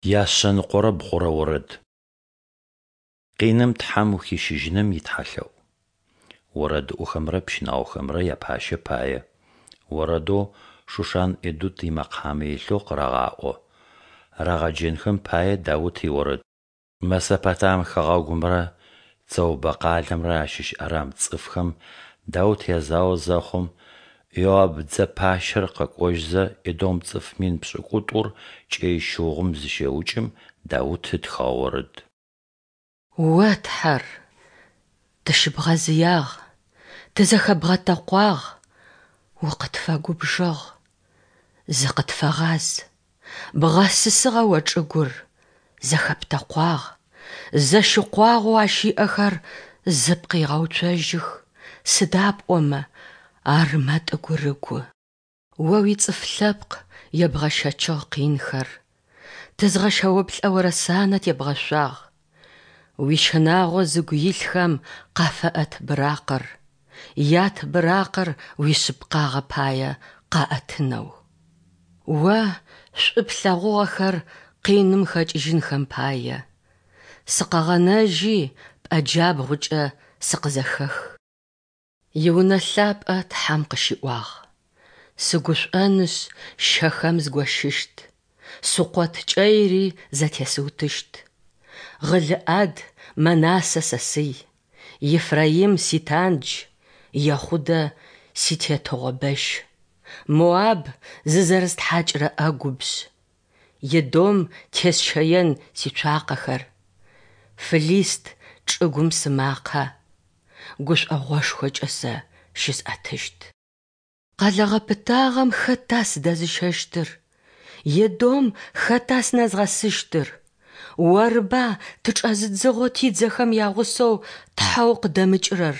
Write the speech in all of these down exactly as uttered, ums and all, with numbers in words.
Яшъэныкъорэ бгъурэ орэд. Къиным Тхьэм ухищыжьыным итхьэлъэӏу. Орэдыӏохэмрэ пщынаохэмрэ япащэ пае. Орэдэу Шушан-Едут имэкъамэ илъэу къырагъаӏо. Рагъэджэнхэм пае Даут иорэд. Месопотам хэгъэгумрэ Цэубэ къалэмрэ ащыщ арам цӏыфхэм Даут язао зэхъум, Иоаб дзэ пащэр къэкӏожьзэ едом цӏыф мин пшӏыкӏутӏур кӏэй щыугъум зыщеукӏым Даут ытхыгъэ орэд. О Тхьэр, тыщыбгъэзыягъ, тызэхэбгъэтэкъуагъ, укъытфэгубжыгъ, зыкъытфэгъаз. Бгъэсысыгъэ О чӏыгур, зэхэптэкъуагъ, зэщыкъуагъэу ащ иӏэхэр зыпкъ игъэуцожьых, сыда пӏомэ ар мэтӏыгурыгу. О уицӏыф лъэпкъ ебгъэщэчыгъ къинхэр, тызгъэщэуплӏэорэ санэ тебгъэшъуагъ. Уищынагъо зыгу илъхэм къафэӏэт быракъыр, ят быракъыр уишъыпкъагъэ пае къаӏэтынэу. О шӏу плъэгъугъэхэр къиным хэкӏыжьынхэм пае, сыкъэгъэнэжьи пӏэ джабгъукӏэ сыкъызэхэх. Иунэ лъапӏэ Тхьэм къыщиӏуагъ: Сыгушӏонышъ, Щэхэм згощыщт, Сукъот кӏэири зэтесыутыщт. Гъылыӏад Мэнасэ сэсый, Ефраим ситандж, Ехъудэ ситетыгъо бэщ, Моаб зызэрыстхьакӏырэ ӏэгубжъ, Едом тесщэен сицуакъэхэр, Фылист чӏыгум сымакъэ гушӏогъошхокӏэ сэ щысӏэтыщт. Къэлэ гъэпытагъэм хэта сыдэзыщэщтыр? Едом хэта сынэзгъэсыщтыр? Орыба тычӏэзыдзыгъэу тидзэхэм ягъусэу Тхьэу къыдэмыкӏырэр?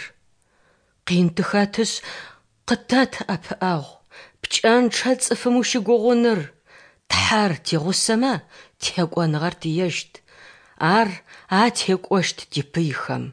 Къин тыхэтышъ, къытэт ӏэпыӏэгъу, пкӏэнчъэ цӏыфым ущыгугъыныр! Тхьэр тигъусэмэ, текӏоныгъэр тиещт, Ар атекӏощт типыйхэм.